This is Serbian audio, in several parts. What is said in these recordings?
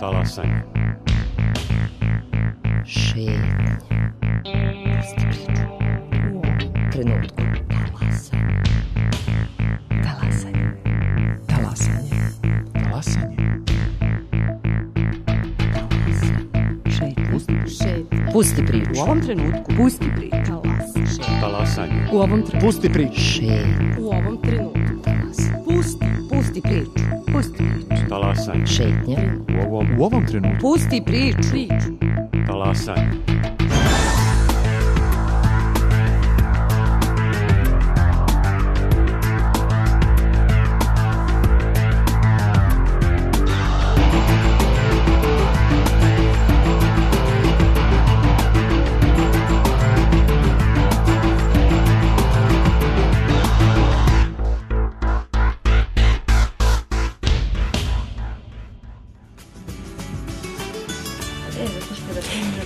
Talasanje. Šetnje. Pusti priču. U ovom trenutku. Talasanje. Talasanje. Talasanje. Pusti priču. U ovom trenutku. Pusti priču. Talasanje. U ovom trenutku. Pusti priču. Šetnje. U ovom trenutku. Pusti priču. Pusti priču. Talasanje. Šetnje. U ovom trenutku. Pusti priču. Talasanje.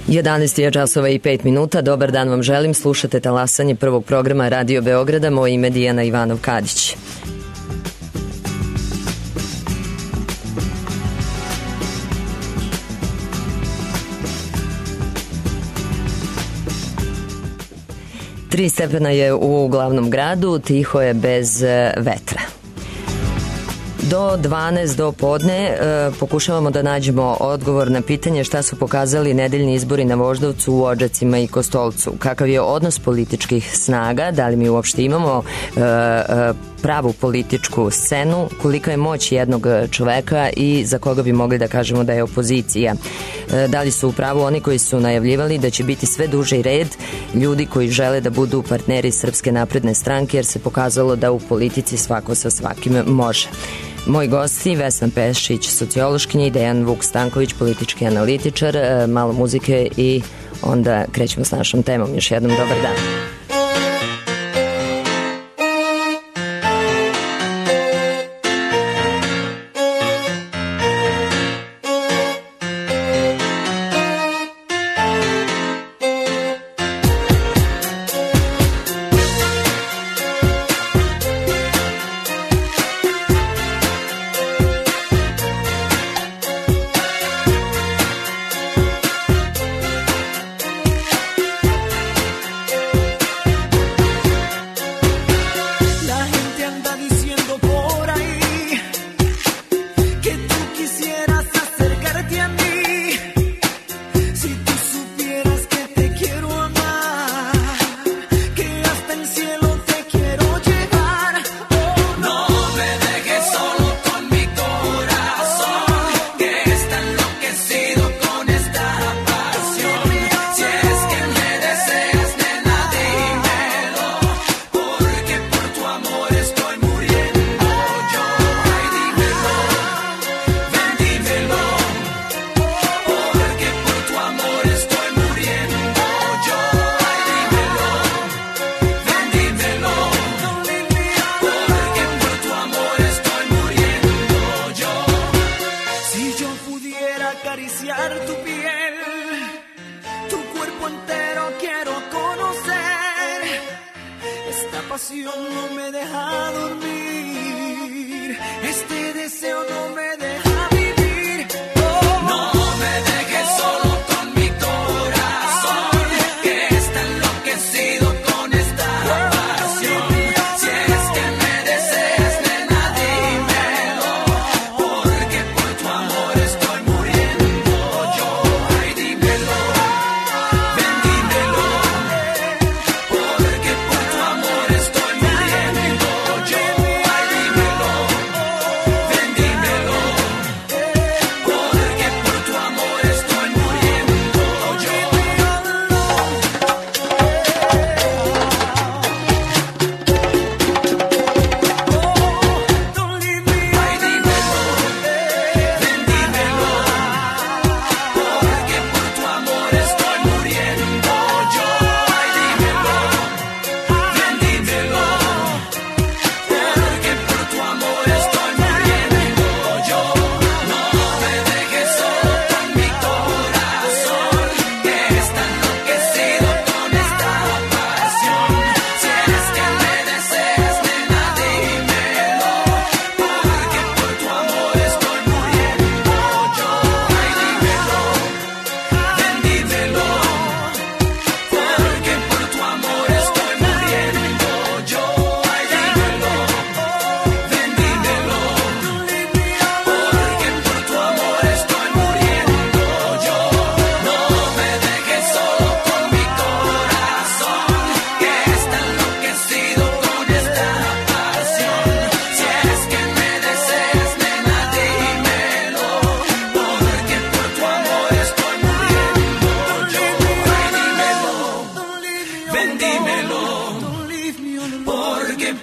Jedanaest je časova i 5 minuta. Dobar dan vam želim. Slušate Talasanje prvog programa Radio Beograda. Moje ime Dijana Ivanov-Kadić. Tri stepena je u glavnom gradu, tiho je bez vetra. Do 12 do podne pokušavamo da nađemo odgovor na pitanje šta su pokazali nedeljni izbori na Voždovcu, u Odžacima i Kostolcu. Kakav je odnos političkih snaga, da li mi uopšte imamo pravu političku scenu, kolika je moć jednog čoveka i za koga bi mogli da kažemo da je opozicija. Da li su u pravu oni koji su najavljivali da će biti sve duži red ljudi koji žele da budu partneri Srpske napredne stranke, jer se pokazalo da u politici svako sa svakim može. Moji gosti, Vesna Pešić, sociološkinja, i Dejan Vuk Stanković, politički analitičar. Malo muzike i onda krećemo s našom temom. Još jednom dobar dan.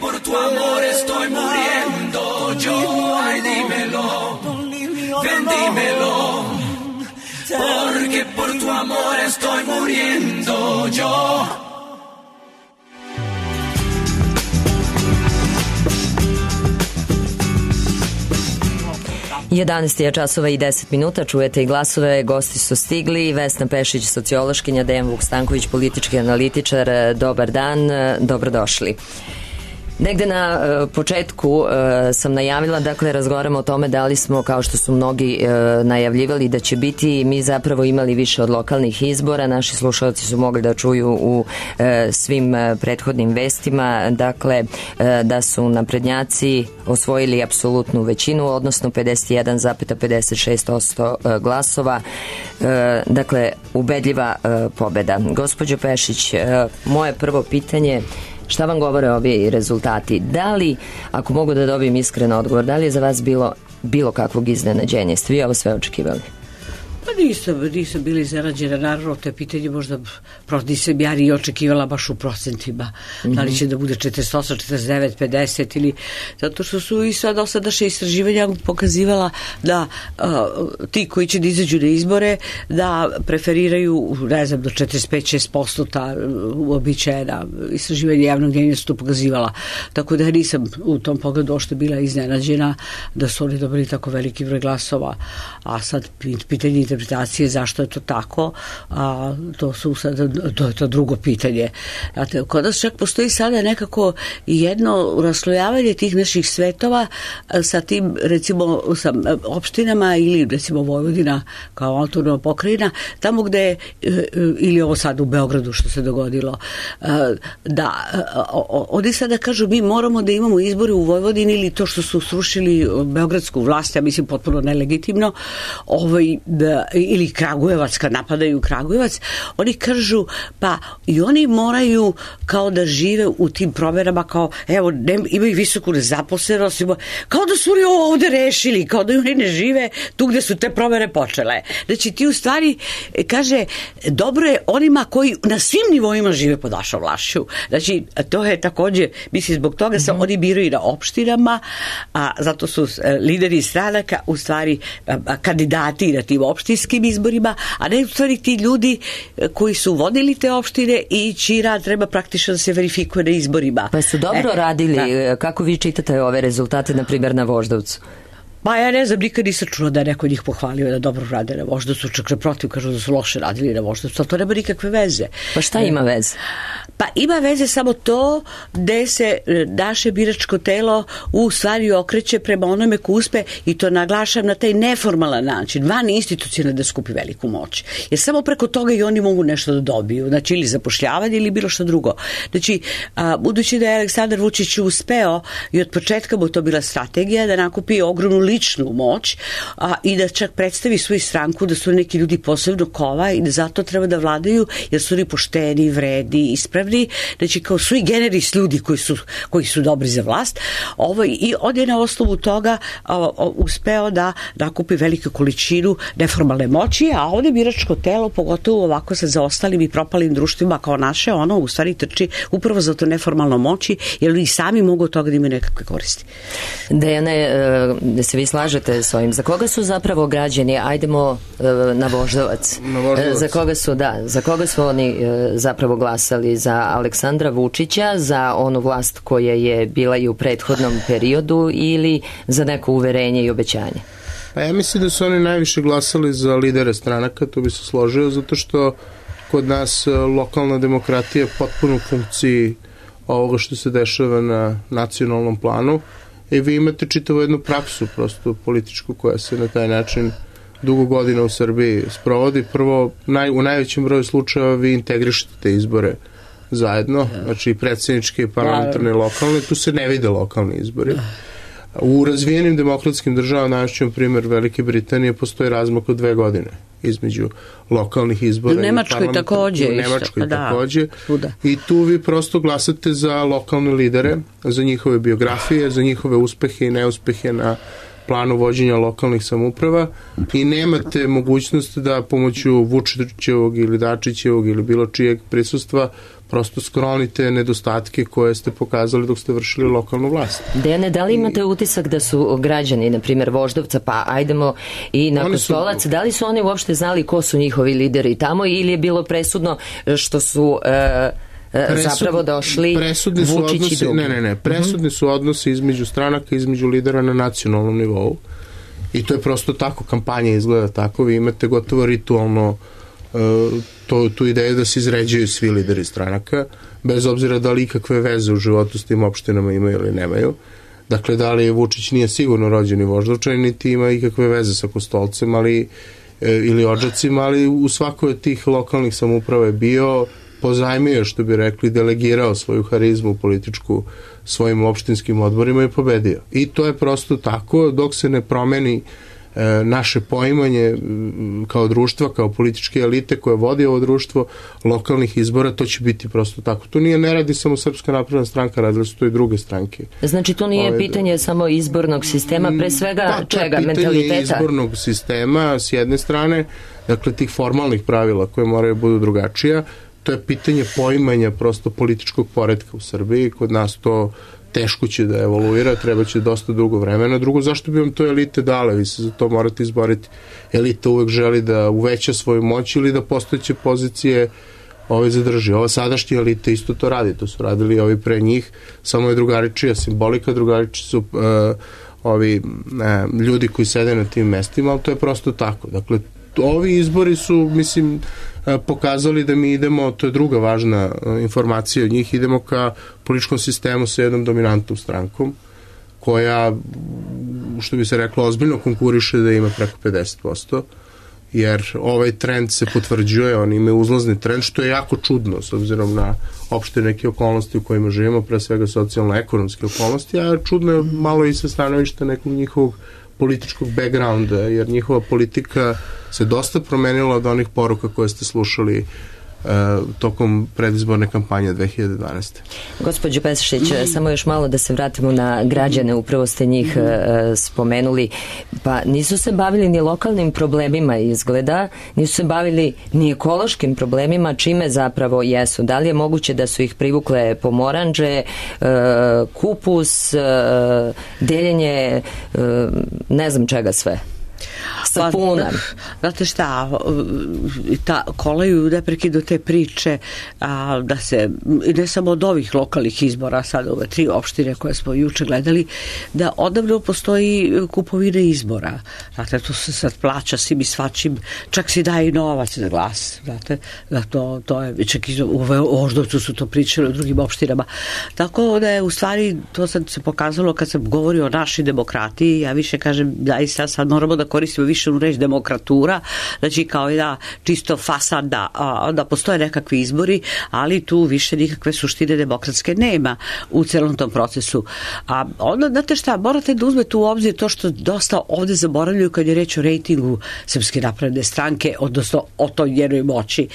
por tu amor estoy muriendo yo. Ay, dímelo, ven, dímelo, porque por tu amor estoy muriendo yo. 11 je časova i 10 minuta, čujete i glasove, gosti su stigli, Vesna Pešić, sociološkinja, Dejan Vukstanković, politički analitičar, dobar dan, dobrodošli. Negde na početku sam najavila, dakle razgovaramo o tome da li smo, kao što su mnogi najavljivali da će biti, mi zapravo imali više od lokalnih izbora, naši slušalci su mogli da čuju u svim prethodnim vestima, dakle da su naprednjaci osvojili apsolutnu većinu, odnosno 51,56% glasova, dakle ubedljiva pobeda. Gospođo Pešić, moje prvo pitanje, šta vam govore ovi rezultati? Da li, ako mogu da dobijem iskren odgovor, da li je za vas bilo kakvog iznenađenja? Ste vi ovo sve očekivali? Pa nisam bila iznenađena, naravno to je pitanje možda nisam ja ni očekivala baš u procentima, da li će da bude 48, 49, 50 ili, zato što su i sad dosadašnja istraživanja pokazivala da ti koji će da izađu na izbore da preferiraju, ne znam, do 45-6% ta uobičajena istraživanja javnog mnjenja su to pokazivala, tako da nisam u tom pogledu ošte bila iznenađena da su oni dobili tako veliki broj glasova, a sad pitanje interpretacije zašto je to tako, a to je to drugo pitanje. Kod nas čak postoji sada nekako jedno raslojavanje tih naših svetova sa tim, recimo, sa opštinama ili recimo Vojvodina kao autonomna pokrajina, tamo gde, ili ovo sad u Beogradu što se dogodilo, da oni sada kažu mi moramo da imamo izbore u Vojvodini ili to što su srušili beogradsku vlast, ja mislim potpuno nelegitimno, ili Kragujevac, kad napadaju Kragujevac, oni kažu, pa i oni moraju kao da žive u tim promenama, kao, evo, imaju visoku nezaposlenost, kao da su oni ovo ovde rešili, kao da oni ne žive tu gde su te promene počele. Znači, ti u stvari, kaže, dobro je onima koji na svim nivoima žive pod vašom vlašću. Znači, to je takođe, mislim, zbog toga se oni biraju na opštinama, a zato su lideri stranaka u stvari kandidati na tim opštinskim izborima, a ne u stvari ti ljudi koji su vodili te opštine i čiji rad treba praktično da se verifikuje na izborima. Pa su dobro radili, kako vi čitate ove rezultate, na primjer na Voždovcu? Pa ja ne znam, nikad nisam čula da je neko njih pohvalio da dobro rade na Voždovcu, čak naprotiv kažu da su loše radili na Voždovcu, ali to nema nikakve veze. Pa šta ima veze? Pa ima veze samo to gde se naše biračko telo u stvari okreće prema onome ko uspe, i to naglašam na taj neformalan način, van institucionalno, da skupi veliku moć. Jer samo preko toga i oni mogu nešto da dobiju, znači ili zapošljavanje ili bilo što drugo. Znači, budući da je Aleksandar Vučić uspeo i od početka mu to bila strategija da nakupi ogromnu ličnu moć i da čak predstavi svoju stranku da su neki ljudi posebno kova i da zato treba da vladaju jer su oni pošteni, vredi, ispravni, znači kao sui generis ljudi koji su dobri za vlast, i on je na osnovu toga uspeo da nakupi veliku količinu neformalne moći, a ovde biračko telo, pogotovo ovako sa zaostalim i propalim društvima kao naše, ono u stvari trči upravo za to neformalno moći, jer i sami mogu od toga da imaju nekakve koristi. Dejane, da se vi slažete s ovim, za koga su zapravo građani, ajdemo na Voždovac, za koga su oni zapravo glasali, za Aleksandra Vučića, za onu vlast koja je bila i u prethodnom periodu ili za neko uverenje i obećanje? Pa ja mislim da su oni najviše glasali za lidere stranaka, to bi se složio, zato što kod nas lokalna demokratija je potpuno u funkciji ovoga što se dešava na nacionalnom planu i vi imate čitavu jednu praksu prosto političku koja se na taj način dugo godina u Srbiji sprovodi. Prvo, u najvećem broju slučajeva vi integrišete te izbore zajedno, znači predsjedničke, parlamentarne, lokalne, tu se ne vide lokalni izbori. U razvijenim demokratskim državama, najvećem primjer Velike Britanije, postoji razmak od 2 godine između lokalnih izbora. U Nemačkoj takođe. U Nemačkoj takođe. I tu vi prosto glasate za lokalne lidere, za njihove biografije, za njihove uspehe i neuspehe na planu vođenja lokalnih samouprava i nemate mogućnost da pomoću Vučićevog ili Dačićevog ili bilo čijeg prisustva prosto sklonite nedostatke koje ste pokazali dok ste vršili lokalnu vlast. Dejane, da li imate utisak da su građani, na primjer Voždovca, pa ajdemo i na Kostolac, da li su oni uopšte znali ko su njihovi lideri tamo ili je bilo presudno što su zapravo došli Vučić i drugi? Ne, presudni su odnosi između stranaka, između lidera na nacionalnom nivou i to je prosto tako, kampanja izgleda tako, vi imate gotovo ritualno tu ideju da se izređaju svi lideri stranaka, bez obzira da li ikakve veze u životu s tim opštinama imaju ili nemaju. Dakle, da li Vučić nije sigurno rođeni Voždovčanin, niti ima ikakve veze sa Kostolcem, ili Odžacima, ali u svakoj od tih lokalnih samouprava je bio, pozajmio, što bi rekli, delegirao svoju harizmu političku svojim opštinskim odborima i pobedio. I to je prosto tako, dok se ne promeni naše poimanje kao društva, kao političke elite koje vodi ovo društvo, lokalnih izbora, to će biti prosto tako. To ne radi samo Srpska napredna stranka, radili su to i druge stranke. Znači to nije pitanje samo izbornog sistema, pre svega čega, mentaliteta? Pitanje izbornog sistema s jedne strane, dakle tih formalnih pravila koje moraju budu drugačija, to je pitanje poimanja prosto političkog poretka u Srbiji, kod nas to teško će da evoluira, treba će dosta dugo vremena. Drugo, zašto bi vam to elite dale? Vi se za to morate izboriti. Elita uvek želi da uveća svoju moć ili da postojeće pozicije zadrži. Ova sadašnja elita isto to radi. To su radili ovi pre njih, samo je drugaričija simbolika, drugariči su ljudi koji sede na tim mestima, ali to je prosto tako. Dakle, ovi izbori su, mislim, pokazali da mi idemo, to je druga važna informacija od njih, idemo ka političkom sistemu sa jednom dominantnom strankom koja, što bi se reklo, ozbiljno konkuriše da ima preko 50%, jer ovaj trend se potvrđuje, oni imaju uzlazni trend, što je jako čudno s obzirom na opšte neke okolnosti u kojima živimo, pre svega socijalno-ekonomske okolnosti, a čudno je malo i sa stanovišta nekog njihovog političkog backgrounda, jer njihova politika se dosta promenila od onih poruka koje ste slušali tokom predizborne kampanje 2012. Gospođo Pešić, samo još malo da se vratimo na građane, upravo ste njih spomenuli, pa nisu se bavili ni lokalnim problemima izgleda, nisu se bavili ni ekološkim problemima, čime zapravo jesu. Da li je moguće da su ih privukle pomoranđe, kupus, deljenje, ne znam čega sve? Sapuna. Znate šta, kolaju neprekidno te priče da se, ne samo od ovih lokalnih izbora, sada ove 3 opštine koje smo juče gledali, da odavno postoji kupovina izbora. Znate, to se sad plaća svim i svačim, čak si daje i novac na glas. Znate, da to je, čak i u Voždovcu su to pričali u drugim opštinama. Tako da je u stvari, to sad se pokazalo kad sam govorio o našoj demokratiji, ja više kažem, sad moramo da koristimo više u reč demokratura, znači kao da čisto fasad da postoje nekakvi izbori, ali tu više nikakve suštine demokratske nema u celom tom procesu. A onda, znate šta, morate da uzmete u obzir to što dosta ovde zaboravljaju kad je reč o rejtingu Srpske napredne stranke, odnosno o toj njenoj moći.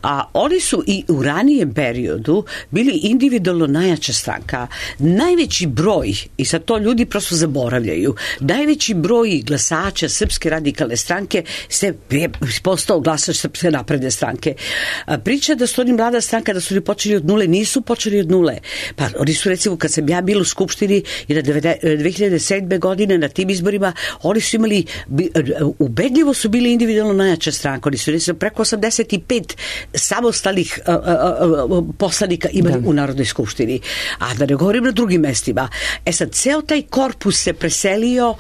A oni su i u ranijem periodu bili individualno najjača stranka. Najveći broj, i sad to ljudi prosto zaboravljaju, najveći broj glasača Srpske radikalne stranke se postao glasač Srpske napredne stranke. Priča da su oni mlada stranka, da su oni počeli od nule, nisu počeli od nule. Pa oni su, recimo, kad sam ja bila u Skupštini i na 2007. godine na tim izborima, oni su imali, ubedljivo su bili individualno najjača stranka. Oni su, recimo, preko 85 samostalnih poslanika imali u Narodnoj skupštini. A da ne govorim na drugim mestima. Sad, ceo taj korpus se preselio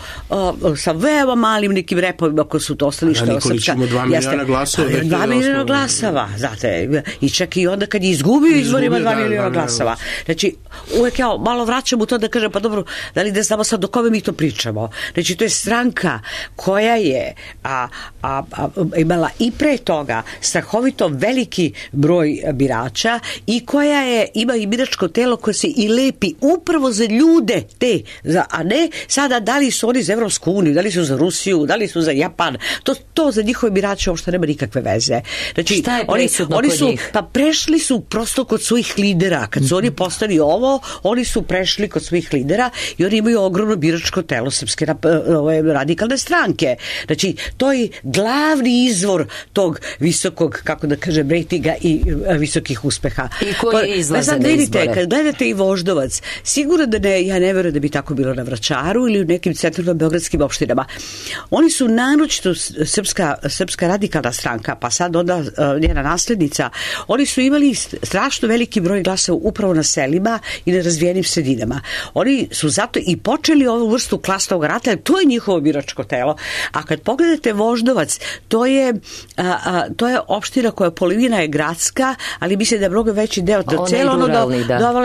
sa veoma malim nekim repovima koji su to ostali što je Nikolić ima 2 miliona glasova. 2 miliona glasova, znate. I čak i onda kad je izgubio izborima 2 miliona glasova. Znači, uvek ja malo vraćam u to da kažem, pa dobro, da li da znamo sad do kome mi to pričamo. Znači, to je stranka koja je imala i pre toga strahovito veliki broj birača i koja ima i biračko telo koje se i lepi upravo za ljude te, a ne sada da li su oni za Evropsku uniju, da li su za Rusiju, da li su za Japan. To za njihove birače uopšte nema nikakve veze. Znači, šta je presudno oni kod su, njih? pa prešli su prosto kod svojih lidera. Kad su oni postali ovo, oni su prešli kod svojih lidera i oni imaju ogromno biračko telo Srpske radikalne stranke. Znači, to je glavni izvor tog visokog, kako da kažem, rejtinga i visokih uspeha. I koji izlaze na izbore? Kad gledate i Voždovac, sigurno da ja ne verujem da bi tako bilo na Vračaru ili u nekim centralno beogradskim opštinama. Oni su naročito Srpska radikalna stranka, pa sad onda njena naslednica, oni su imali strašno veliki broj glasova upravo na selima i na razvijenim sredinama. Oni su zato i počeli ovu vrstu klasnog rata, to je njihovo biračko telo. A kad pogledate Voždovac, to je opština koja polovina je gradska, ali mislim da je mnogo veći deo.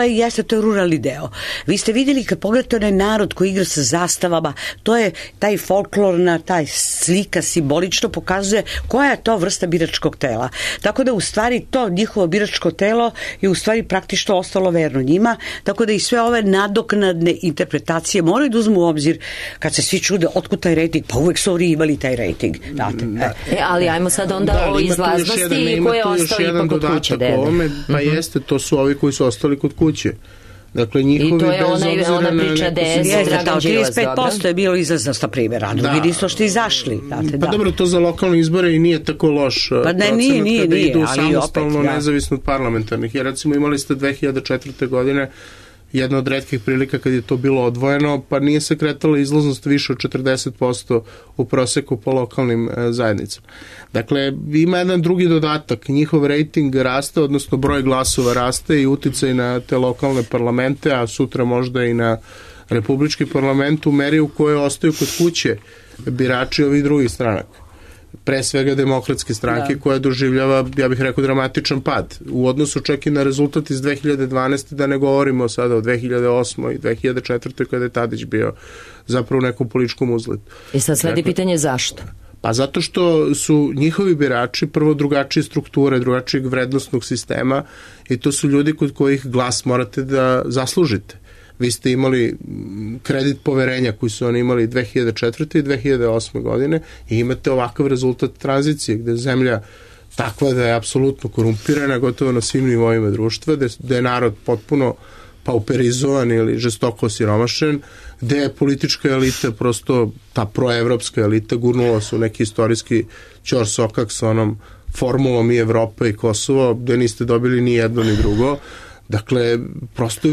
Jeste, to je ruralni deo. Vi ste vidjeli kad pogledate onaj narod koji igra sa zastavama, to je taj folklorna, taj slika simbolično pokazuje koja je to vrsta biračkog tela. Tako da u stvari to njihovo biračko telo je u stvari praktično ostalo verno njima, tako da i sve ove nadoknadne interpretacije moraju da uzmu u obzir kad se svi čude otkud taj rejting, pa uvek su oni imali taj rejting. Ali ajmo sad onda o izlaznosti koje ostali ipak kod kuće. Pa jeste, to su ovi koji su ostali kod kuće. Dakle, njihovi, i to je ona priča DS, Dragan Đilas, 35% je bilo izlaznost, na primjer, a drugi nisu što izašli. Pa dobro, to za lokalne izbore i nije tako loš procenat kada idu samostalno nezavisno od parlamentarnih. Jer recimo imali ste 2004. godine jedna od retkih prilika kad je to bilo odvojeno, pa nije se kretala izlaznost više od 40% u proseku po lokalnim zajednicama. Dakle, ima jedan drugi dodatak, njihov rejting raste, odnosno broj glasova raste i uticaj na te lokalne parlamente, a sutra možda i na republički parlament u meri u kojoj ostaju kod kuće birači ovih drugih stranaka. Pre svega demokratske stranke koja doživljava, ja bih rekao, dramatičan pad. U odnosu čak i na rezultat iz 2012. da ne govorimo sada o 2008. i 2004. kada je Tadić bio zapravo u nekom političkom uzletu. I sad sledi pitanje zašto? Pa zato što su njihovi birači prvo drugačije strukture, drugačijeg vrednostnog sistema i to su ljudi kod kojih glas morate da zaslužite. Vi ste imali kredit poverenja koji su oni imali 2004. i 2008. godine i imate ovakav rezultat tranzicije gde je zemlja takva da je apsolutno korumpirana gotovo na svim nivoima društva, gde je narod potpuno pauperizovan ili žestoko osiromašen, gde je politička elita, prosto ta proevropska elita gurnula su neki istorijski ćorsokak sa onom formulom i Evropa i Kosovo, gde niste dobili ni jedno ni drugo. Dakle, prosto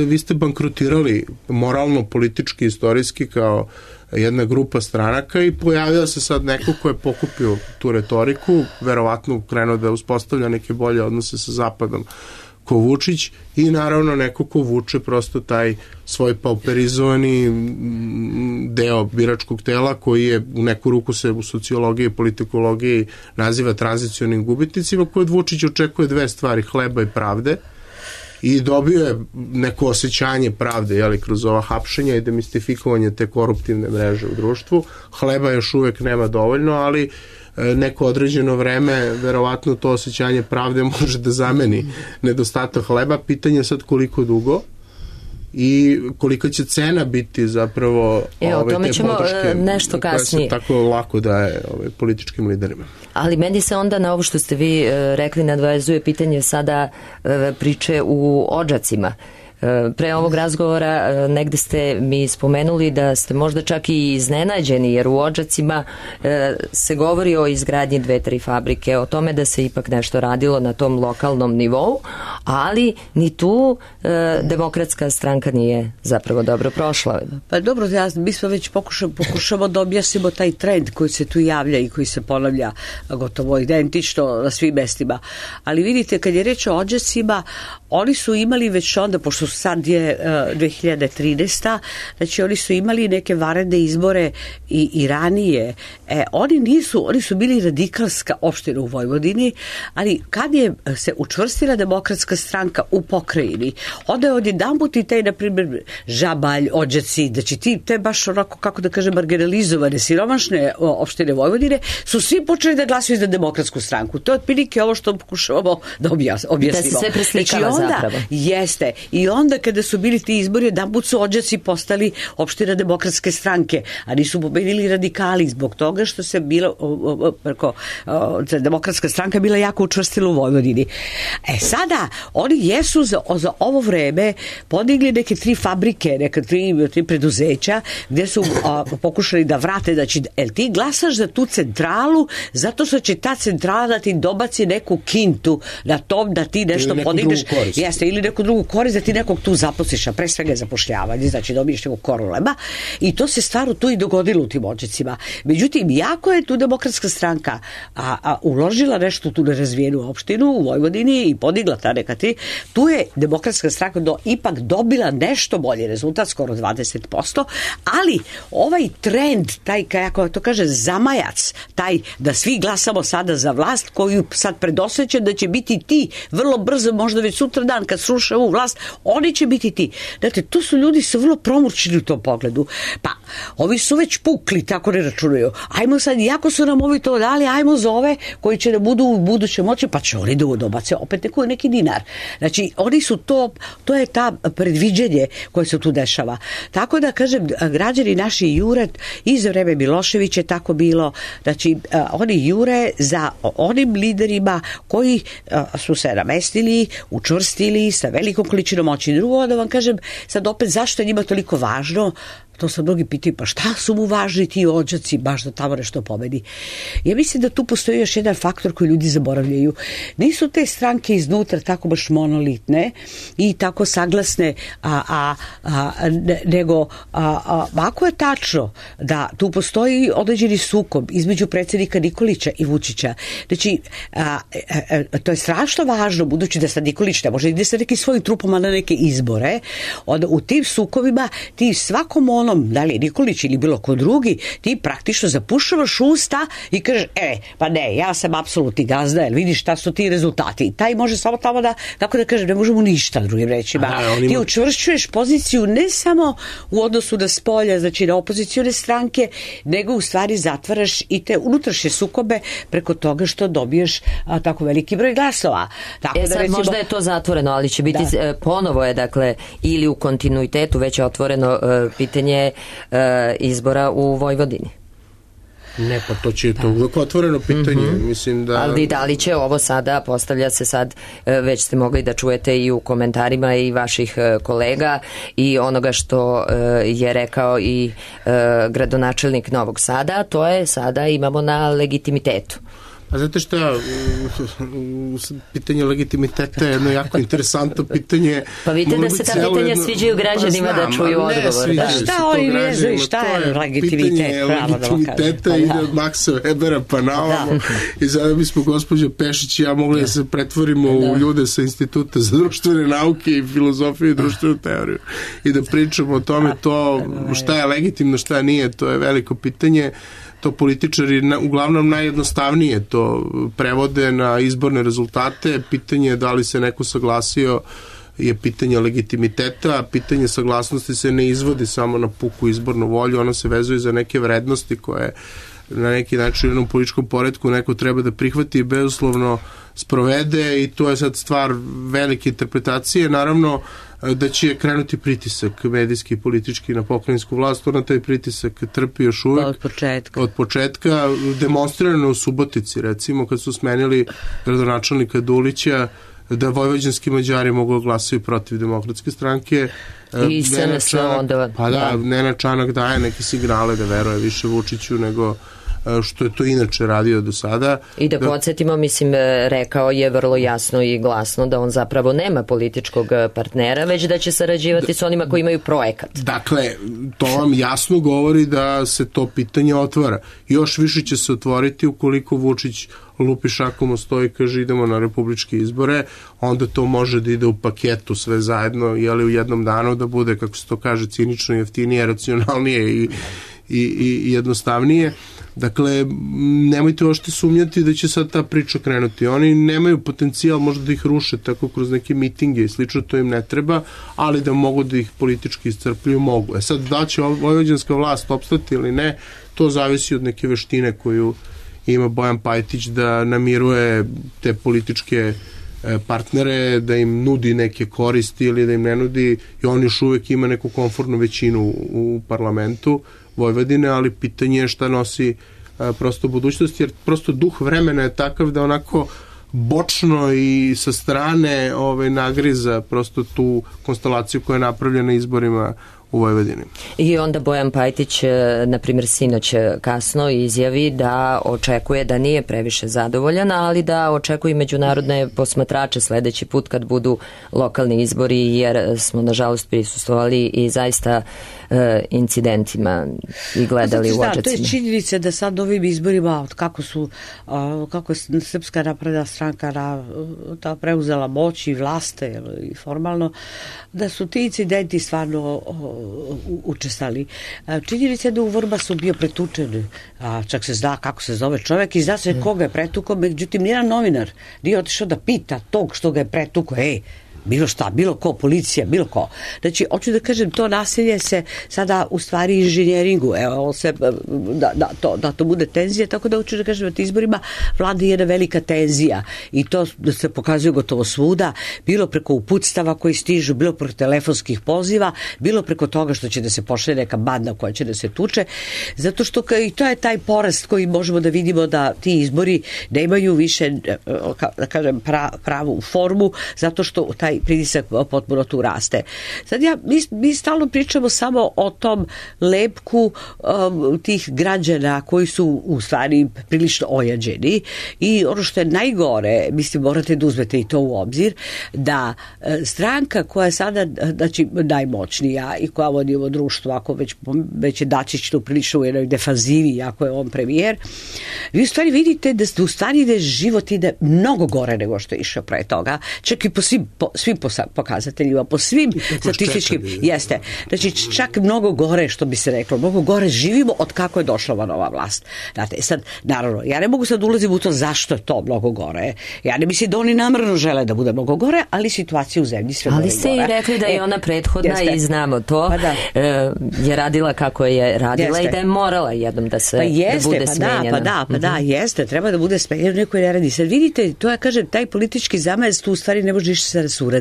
vi ste bankrotirali moralno, politički, istorijski kao jedna grupa stranaka i pojavio se sad neko ko je pokupio tu retoriku, verovatno krenuo da uspostavlja neke bolje odnose sa Zapadom ko Vučić i naravno neko ko vuče prosto taj svoj pauperizovani deo biračkog tela koji je u neku ruku se u sociologiji i politikologiji naziva tranzicionim gubitnicima, koji od Vučića očekuje dve stvari, hleba i pravde, i dobio je neko osjećanje pravde, jeli, kroz ova hapšenja i demistifikovanje te koruptivne mreže u društvu. Hleba još uvek nema dovoljno, ali neko određeno vreme verovatno to osjećanje pravde može da zameni nedostatak hleba. Pitanje je sad koliko dugo i kolika će cena biti zapravo o tome ćemo nešto kasnije. Koja se tako lako daje političkim liderima. Ali meni se onda na ovo što ste vi rekli nadvezuje pitanje sada priče u Odžacima. Pre ovog razgovora negde ste mi spomenuli da ste možda čak i iznenađeni, jer u Odžacima se govori o izgradnji 2-3 fabrike, o tome da se ipak nešto radilo na tom lokalnom nivou, ali ni tu demokratska stranka nije zapravo dobro prošla. Pa dobro, mi smo već pokušamo da objasnimo taj trend koji se tu javlja i koji se ponavlja gotovo identično na svim mestima. Ali vidite, kad je reč o Odžacima, oni su imali već onda, pošto sad je 2013. Znači oni su imali neke vanredne izbore i ranije. Oni su bili radikalska opština u Vojvodini, ali kad je se učvrstila demokratska stranka u pokrajini, onda je odjedanput i taj, na primjer, Žabalj, Odžaci, znači te baš onako, kako da kažem, marginalizovane, siromašne opštine Vojvodine, su svi počeli da glasuju za demokratsku stranku. To je otprilike ovo što pokušavamo da objasnimo. Da se sve preslikava zapravo. Jeste. I onda kada su bili ti izbori, jedanput su Odžaci postali opština Demokratske stranke, a nisu pobedili radikali zbog toga što se bilo Demokratska stranka bila jako učvrstila u Vojvodini. Sada, oni jesu za ovo vreme podigli neke 3 fabrike, neka 3 preduzeća gdje su pokušali da vrate, znači, ti glasaš za tu centralu zato što će ta centrala da ti dobaci neku kintu na tom da ti nešto podigneš. Jeste, ili neku drugu korist da ti nekog tu zaposliš, a pre svega je zapošljavanje, znači dobiješ nekog koroleba, i to se stvarno tu i dogodilo u tim Odžacima. Međutim, jako je tu Demokratska stranka uložila nešto tu nerazvijenu opštinu u Vojvodini i podigla ta neka tu je Demokratska stranka ipak dobila nešto bolji rezultat, skoro 20%, ali ovaj trend, taj, kako to kaže, zamajac, taj da svi glasamo sada za vlast koju sad predosjeća da će biti ti vrlo brzo, možda već sutra dan kad sruše ovu vlast, oni će biti ti. Znate, tu su ljudi su vrlo promućni u tom pogledu. Pa, ovi su već pukli, tako ne računaju. Ajmo sad, iako su nam ovi to dali, ajmo za ove koji će da budu u buduće moći, pa će oni da dobace opet neki dinar. Znači, oni su to je ta predviđenje koje se tu dešava. Tako da, kažem, građani naši jure, i za vreme Miloševića je tako bilo, znači, oni jure za onim liderima koji su se namestili, učvrstili sa velikom količinom moći. Drugo, da vam kažem, sad opet zašto je njima toliko važno, to sad mnogi pitaju, pa šta su mu važni ti Odžaci, baš da tamo nešto pobedi. Ja mislim da tu postoji još jedan faktor koji ljudi zaboravljaju. Nisu te stranke iznutra tako baš monolitne i tako saglasne, nego ako je tačno da tu postoji određeni sukob između predsjednika Nikolića i Vučića, znači, to je strašno važno, budući da sad Nikolić ne može ide sa nekim svojim trupama na neke izbore, onda u tim sukobima ti svakom da li je Nikolić ili bilo ko drugi, ti praktično zapušavaš usta i kažeš, pa ne, ja sam apsolutni gazda, jer vidiš šta su ti rezultati. Taj može samo tamo da, kako da kažem, ne možemo ništa drugim rečima. Ti učvršćuješ poziciju ne samo u odnosu na spolja, znači na opozicione stranke, nego u stvari zatvaraš i te unutrašnje sukobe preko toga što dobiješ tako veliki broj glasova. Tako sad, recimo, možda je to zatvoreno, ali će biti ponovo je, dakle, ili u kontinuitetu već je otvoreno pitanje izbora u Vojvodini. Ne, pa to će to uvijek otvoreno pitanje. Mislim da... Ali da li će ovo sada, postavlja se sad, već ste mogli da čujete i u komentarima i vaših kolega i onoga što je rekao i gradonačelnik Novog Sada, to je sada imamo na legitimitetu. A znate šta, pitanje legitimiteta je jedno jako interesantno pitanje. Pa vidite da se ta pitanja sviđaju građanima da čuju odgovor. Šta oni vezuju, šta je legitimitet? Pitanje legitimiteta ide od Maxa Webera pa na ovamo. I sada bismo, gospođa Pešić i ja, mogli da se pretvorimo u ljude sa Instituta za društvene nauke i filozofiju i društvenu teoriju i da pričamo o tome to šta je legitimno, šta nije, to je veliko pitanje. To političari uglavnom najjednostavnije to prevode na izborne rezultate. Pitanje je da li se neko saglasio je pitanje legitimiteta, a pitanje saglasnosti se ne izvodi samo na puku izbornu volju, ono se vezuje za neke vrednosti koje na neki način u jednom političkom poretku neko treba da prihvati i bezuslovno sprovede, i to je sad stvar velike interpretacije. Naravno da će krenuti pritisak medijski i politički na pokrajinsku vlast, ona taj pritisak trpi još uvek od početka, demonstrirano u Subotici, recimo, kad su smenili gradonačelnika Dulića, da vojvođanski Mađari mogu glasati protiv Demokratske stranke. I SNS onda... Pa da, Nenad Čanak daje neke signale da veruje više Vučiću nego što je to inače radio do sada. I da podsjetimo, mislim, rekao je vrlo jasno i glasno da on zapravo nema političkog partnera, već da će sarađivati s onima koji imaju projekat. Dakle, to vam jasno govori da se to pitanje otvara. Još više će se otvoriti ukoliko Vučić lupi šakom o sto i kaže idemo na republičke izbore, onda to može da ide u paketu sve zajedno, jeli u jednom danu da bude, kako se to kaže, cinično, jeftinije, racionalnije i jednostavnije. Dakle, nemojte ošte sumnjati da će sad ta priča krenuti. Oni nemaju potencijal možda da ih ruše tako kroz neke mitinge i slično, to im ne treba, ali da mogu da ih politički iscrpljuju, mogu. Sad, da će vojvođanska vlast opstati ili ne, to zavisi od neke veštine koju ima Bojan Pajtić da namiruje te političke partnere, da im nudi neke koristi ili da im ne nudi, i on još uvek ima neku komfortnu većinu u parlamentu Vojvodine, ali pitanje je šta nosi prosto budućnost, jer prosto duh vremena je takav da onako bočno i sa strane nagriza prosto tu konstelaciju koja je napravljena izborima u Vojvodini. I onda Bojan Pajtić, na primjer, sinoć kasno izjavi da očekuje, da nije previše zadovoljan, ali da očekuje i međunarodne posmatrače sledeći put kad budu lokalni izbori, jer smo nažalost prisustvovali i zaista incidentima i gledali u očacima. To je činjenica da sad ovim izborima, kako je Srpska napredna stranka preuzela moć i vlaste i formalno, da su ti incidenti stvarno učestali. Činjenica je da u Vrbasu bio pretučen, čak se zna kako se zove čovek i zna se koga je pretukao, međutim nijedan novinar nije otišao da pita tog što ga je pretukao, bilo šta, bilo ko, policija, bilo ko. Znači, hoću da kažem, to nasilje se sada u stvari inženjeringu, da to bude tenzija, tako da hoću da kažem, na izborima vlada jedna velika tenzija i to se pokazuje gotovo svuda, bilo preko uputstava koji stižu, bilo preko telefonskih poziva, bilo preko toga što će da se pošalje neka banda koja će da se tuče, zato što i to je taj porast koji možemo da vidimo da ti izbori ne imaju više, da kažem, pravu formu, zato što taj pritisak potpuno tu raste. Sad mi stalno pričamo samo o tom lepku tih građana koji su u stvari prilično ojađeni i ono što je najgore, mislim, morate da uzmete i to u obzir, da stranka koja je sada, znači, najmoćnija i koja vodi ovo društvo, ako već je Dačić tu prilično u jednoj defanzivi, ako je on premijer, vi u stvari vidite da u stvari ide život ide mnogo gore nego što je išao pre toga, čak i po svim pokazateljima, po svim statističkim, jeste. Znači, čak mnogo gore, što bi se reklo, mnogo gore živimo od kako je došla ova nova vlast. Znate, sad, naravno, ja ne mogu sad ulaziti u to zašto je to mnogo gore. Ja ne mislim da oni namerno žele da bude mnogo gore, ali situacija u zemlji sve gore. Ali ste i rekli da je ona prethodna i znamo to, je radila kako je radila i da je morala jednom da bude smenjena. Da, jeste, treba da bude smenjena, neko ne radi. Sad vidite, to ja kažem, taj politički zamajac tu u stvari ne može ništa da se uradi.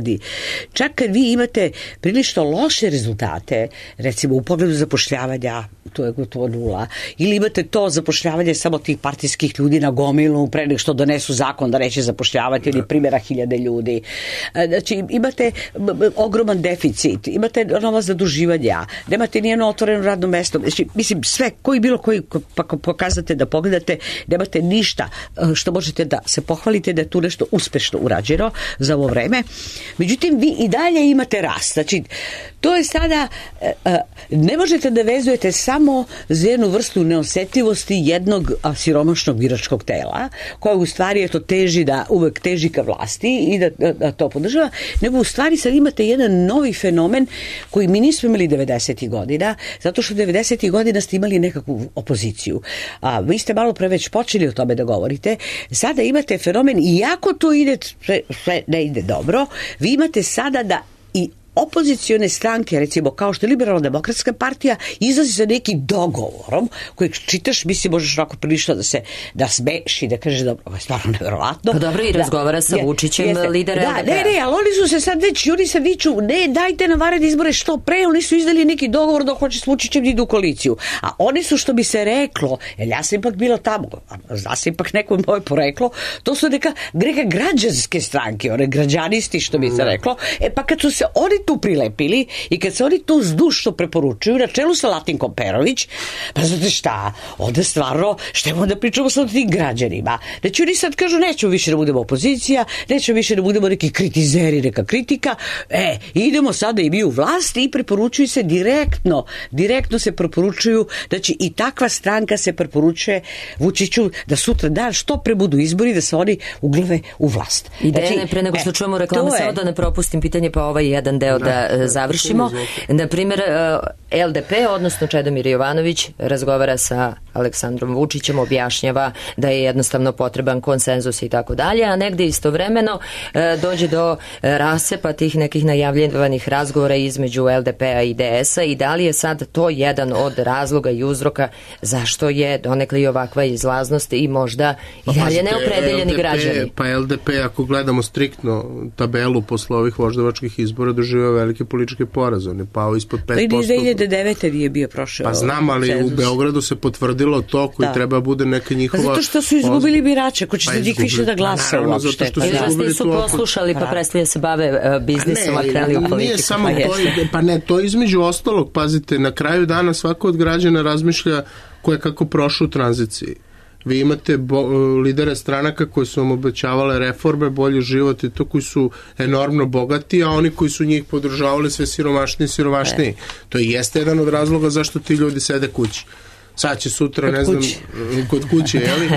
Čak kad vi imate prilično loše rezultate, recimo u pogledu zapošljavanja, to je gotovo nula, ili imate to zapošljavanje samo tih partijskih ljudi na gomilu pre nego što donesu zakon da neće zapošljavati ili primjera 1000 ljudi. Znači, imate ogroman deficit, imate nova zaduživanja, nemate nijedno otvoreno radno mesto, znači, mislim, sve, bilo koji pokazate da pogledate, nemate ništa što možete da se pohvalite da je tu nešto uspešno urađeno za ovo vreme. Međutim, vi i dalje imate rast. Znači, to je sada, ne možete da vezujete samo za jednu vrstu neosetljivosti jednog siromašnog biračkog tela, koja u stvari uvek teži ka vlasti i da to podržava, nego u stvari sad imate jedan novi fenomen koji mi nismo imali 90. godina, zato što 90. godina ste imali nekakvu opoziciju. Vi ste malo pre već počeli o tome da govorite. Sada imate fenomen, iako to ide, sve ne ide dobro, vi imate sada da i opozicione stranke, recimo kao što je Liberalno-demokratska partija, izlazi sa nekim dogovorom kojeg čitaš, mislim, možeš onako prilično da smeš i da kažeš da ovo je stvarno neverovatno. Pa dobro, i razgovara sa Vučićem, lidera LDP. Ne, ali oni su se sad već, oni se viču, ne, dajte na vanredne izbore što pre, oni su izdali neki dogovor da hoće s Vučićem idu u koaliciju. A oni su, što bi se reklo, jer ja sam ipak bila tamo, zna se ipak neko moje poreklo, to su neka građanske stranke, one građanisti, što bi se reklo, pa kad su se oni tu prilepili i kad se oni tu zdušno preporučuju na čelu sa Latinkom Perović, pa znate šta, onda stvarno, šta imamo da pričamo sa tim građanima? Znači oni sad kažu, nećemo više da budemo opozicija, nećemo više da budemo neki kritizeri, neka kritika, idemo sada i mi u vlast i preporučuju se direktno se preporučuju, znači i takva stranka se preporučuje Vučiću da sutra dan što pre budu izbori da se oni uglave u vlast. Ideja, pre nego što čujemo reklame, samo da ne propustim pitanje, pa ovaj jedan deo da završimo. Na primjer, LDP, odnosno Čedomir Jovanović, razgovara sa Aleksandrom Vučićem, objašnjava da je jednostavno potreban konsenzus i tako dalje, a negde istovremeno dođe do rasepa tih nekih najavljevanih razgovora između LDP-a i DS-a i da li je sad to jedan od razloga i uzroka zašto je donekle i ovakva izlaznost i možda i dalje neopredeljeni građani. Pa LDP, ako gledamo striktno tabelu posle ovih voždovačkih izbora, doživio velike političke poraze. On je pao ispod 5%. Pa i 2009. nije bio prošao. Pa znam, ali cenzus. U Beogradu se potvrdilo to koji treba bude neka njihova... Pa zato što su izgubili birače, ko će se njih više da glasa uopšte. Ili vas nisu poslušali, pa prestali da se bave biznisom, a kreli u politiku. Nije samo to, pa ne, to između ostalog, pazite, na kraju dana svako od građana razmišlja ko je kako prošao u tranziciji. Vi imate lidere stranaka koji su vam obećavale reforme, bolji život i to, koji su enormno bogati, a oni koji su njih podržavali sve siromašniji i siromašniji. To i jeste jedan od razloga zašto ti ljudi sede kući. Sad će sutra, ne znam, kod kuće, jeli?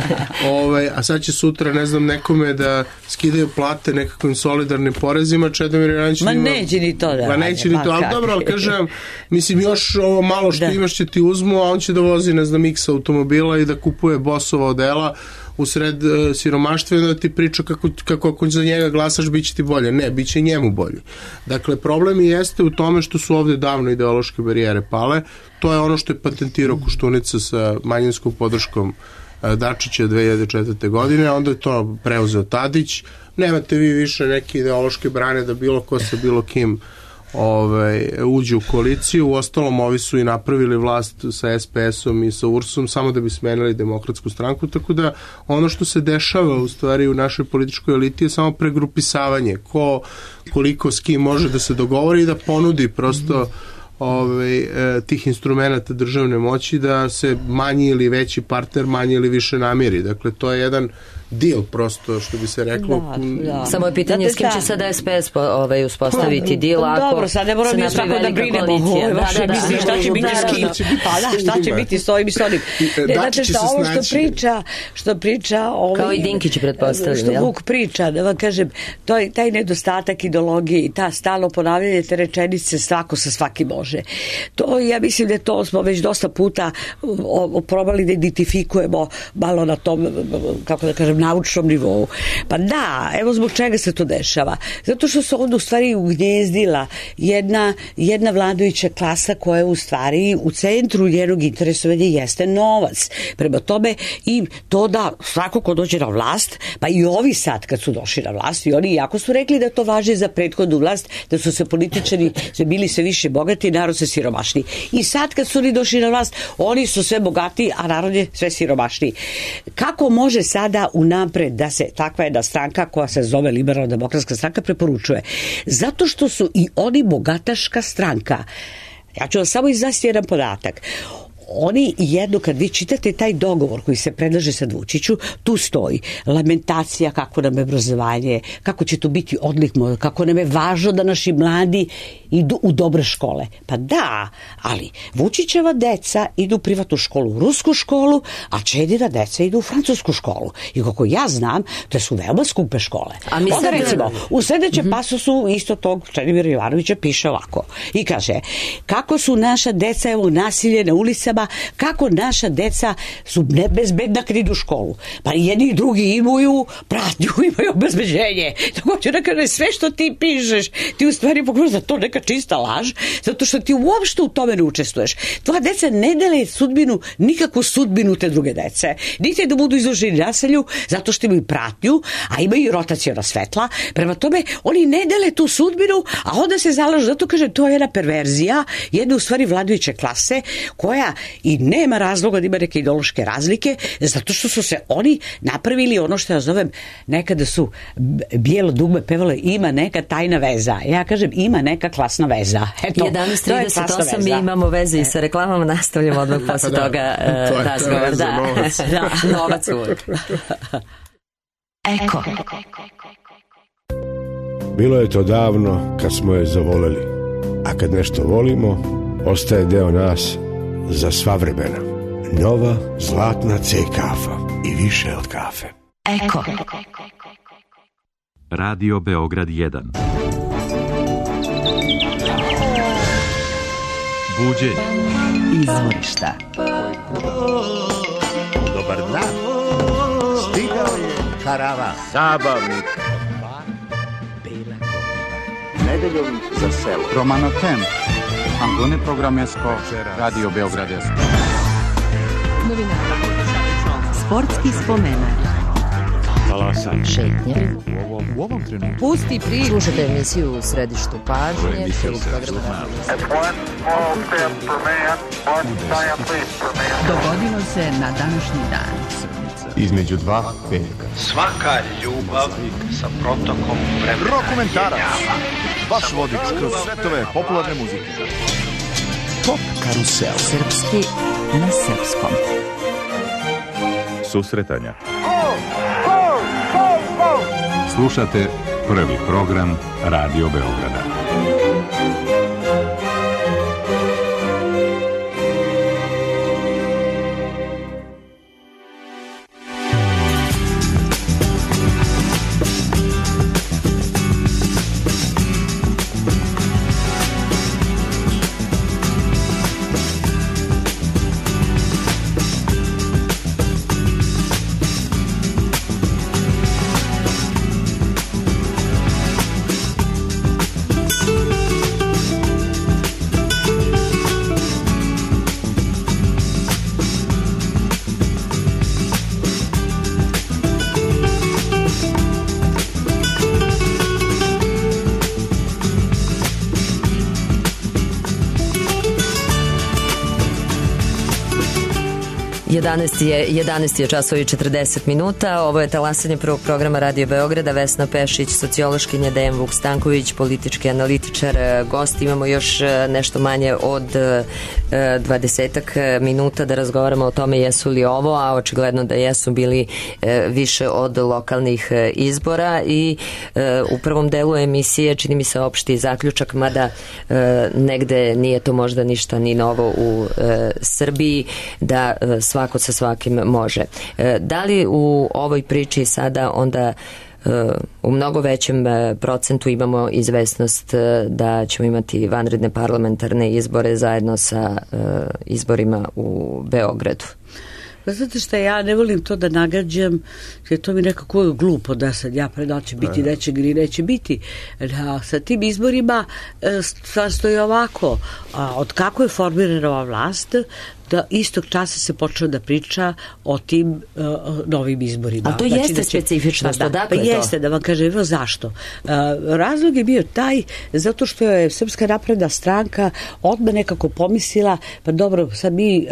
A sad će sutra, ne znam, nekome da skidaju plate nekakvim solidarnim porezima, Čedomir Jovanović... Ma neće ni to da... Ma neće ni to, ali dobro, ali kažem, mislim, još ovo malo što imaš će ti uzmu, a on će da vozi, ne znam, X automobila i da kupuje Bossova odela u sred siromaštva i da ti priča kako ako za njega glasaš bit će ti bolje. Ne, bit će njemu bolje. Dakle, problem jeste u tome što su ovde davno ideološke barijere pale. To je ono što je patentirao Koštunica sa manjinskom podrškom Dačića 2004. godine, a onda je to preuzeo Tadić. Nemate vi više neke ideološke brane da bilo ko sa bilo kim uđe u koaliciju. Uostalom, ovi su i napravili vlast sa SPS-om i sa URS-om samo da bi smenili Demokratsku stranku, tako da ono što se dešava u stvari u našoj političkoj eliti je samo pregrupisavanje. Koliko s kim može da se dogovori i da ponudi prosto tih instrumenta državne moći da se manji ili veći partner manje ili više namiri. Dakle, to je jedan deal prosto, što bi se reklo. Da. Samo je pitanje s kim će sada SPS uspostaviti deal ako dobro, sad ne moramo mi tako da brinemo šta će biti s kim. Pa da, šta će biti s ovim i s onim. Znači šta ovo što priča kao i Dinkić pretpostavljam. Što Vuk priča, da vam kažem, taj nedostatak ideologije i ta stalno ponavljanje te rečenice svako sa svakim može. To, ja mislim da to smo već dosta puta probali da identifikujemo malo na tom, kako da kažem, naučnom nivou. Pa da, evo zbog čega se to dešava. Zato što se onda u stvari ugnjezdila jedna vladajuća klasa koja u stvari u centru njenog interesovanja jeste novac. Prema tome i to da svako ko dođe na vlast, pa i ovi sad kad su došli na vlast i oni jako su rekli da to važi za prethodnu vlast, da su se političari bili sve više bogati, narod se siromašniji. I sad kad su oni došli na vlast, oni su sve bogati, a narod je sve siromašniji. Kako može sada unapred da se takva jedna stranka koja se zove Liberalno demokratska stranka preporučuje? Zato što su i oni bogataška stranka. Ja ću vam samo iznasti jedan podatak. Oni jedno, kad vi čitate taj dogovor koji se predlaže sad Vučiću, tu stoji lamentacija kako nam je obrazovanje, kako će to biti odlik, kako nam je važno da naši mladi idu u dobre škole. Pa da, ali Vučićeva deca idu u privatnu školu, u rusku školu, a Čedina deca idu u francusku školu. I kako ja znam, to su veoma skupe škole. Onda recimo, u sledećem pasusu isto tog Čedomira Jovanovića piše ovako. I kaže, kako su naša deca, evo, nasilje na ulicama, kako naša deca su nebezbedna kad idu u školu. Pa jedni i drugi imaju pratnju, imaju obezbeđenje. Tako ću da kaže, sve što ti pišeš, ti u stvari pogledaš da to neka čista laž, zato što ti uopšte u tome ne učestvuješ. Tvoja deca ne dele sudbinu, nikakvu sudbinu te druge dece. Niti da budu izloženi nasilju, zato što imaju pratnju, a imaju i rotaciona svetla. Prema tome, oni ne dele tu sudbinu, a onda se zalažu. Zato kaže, to je jedna perverzija, jedna u stvari vladajuće klase, koja i nema razloga da ima neke ideološke razlike, zato što su se oni napravili ono što ja zovem, nekada su bijelo dugme pevalo, ima neka tajna veza. Ja kažem, ima neka klasna veza. Eto, 11:38 mi imamo veze i sa reklamama, nastavljamo odmah posle toga razgovor. Da, novac uvijek. Eko. Bilo je to davno kad smo je zavoleli, a kad nešto volimo, ostaje deo nas za sva vremena. Nova zlatna C kafa i više od kafe. Eko. Radio Beograd 1. Buđenje. Izvorišta. Dobar dan. Stigao je karavan. Zabavnik. Nedeljom za selo. Romanotem. Angone programesko. Radio Beogradesko. Novinara. Sportski spomenak. Talasanje. Šetnje. U ovom trenutku. Pusti priču. Slušajte emisiju U središtu pažnje. Dogodilo se na današnji dan. Između dva veka. Svaka ljubav sa protokom vremena. Rokomentarac. Vaš vodič kroz svetove popularne muzike. Pop karusel. Srpski na srpskom. Susretanja. Slušate prvi program Radio Beograda. Jedanaest je časovi 40 minuta. Ovo je talasanje prvog programa Radio Beograda. Vesna Pešić, sociološkinja, Dejan Vuk Stanković, politički analitičar, gost. Imamo još nešto manje od 20 minuta da razgovaramo o tome jesu li ovo, a očigledno da jesu bili više od lokalnih izbora i u prvom delu emisije čini mi se opšti zaključak, mada negde nije to možda ništa ni novo u Srbiji, da svako sa svakim može. Da li u ovoj priči sada onda u mnogo većem procentu imamo izvesnost da ćemo imati vanredne parlamentarne izbore zajedno sa izborima u Beogradu? Znate šta, ja ne volim to da nagađam, jer to mi nekako glupo da sad ja da će biti nečeg ili neće biti. Da, sa tim izborima stvar stoji ovako, od kako je formirana ova vlast, da istog časa se počeo da priča o tim novim izborima. A to znači, jeste specifičnost, odakle to? Jeste, da vam kažem, evo zašto. Razlog je bio taj, zato što je Srpska napredna stranka odmah nekako pomislila, pa dobro, sad mi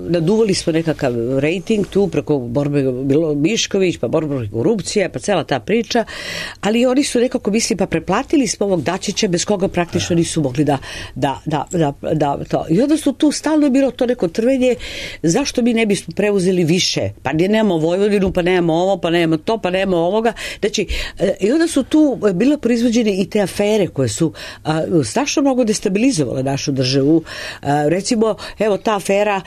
naduvali smo nekakav rejting tu preko borbe Mišković, pa borbe protiv korupcije, pa cela ta priča, ali oni su nekako mislili, pa preplatili smo ovog Dačića bez koga praktično nisu mogli da to. I onda su tu stalno bilo to neko trvenje, zašto mi ne bismo preuzeli više? Pa nemamo Vojvodinu, pa nemamo ovo, pa nemamo to, pa nemamo ovoga. Znači, i onda su tu bile proizvođene i te afere koje su strašno mnogo destabilizovale našu državu. Recimo, evo ta afera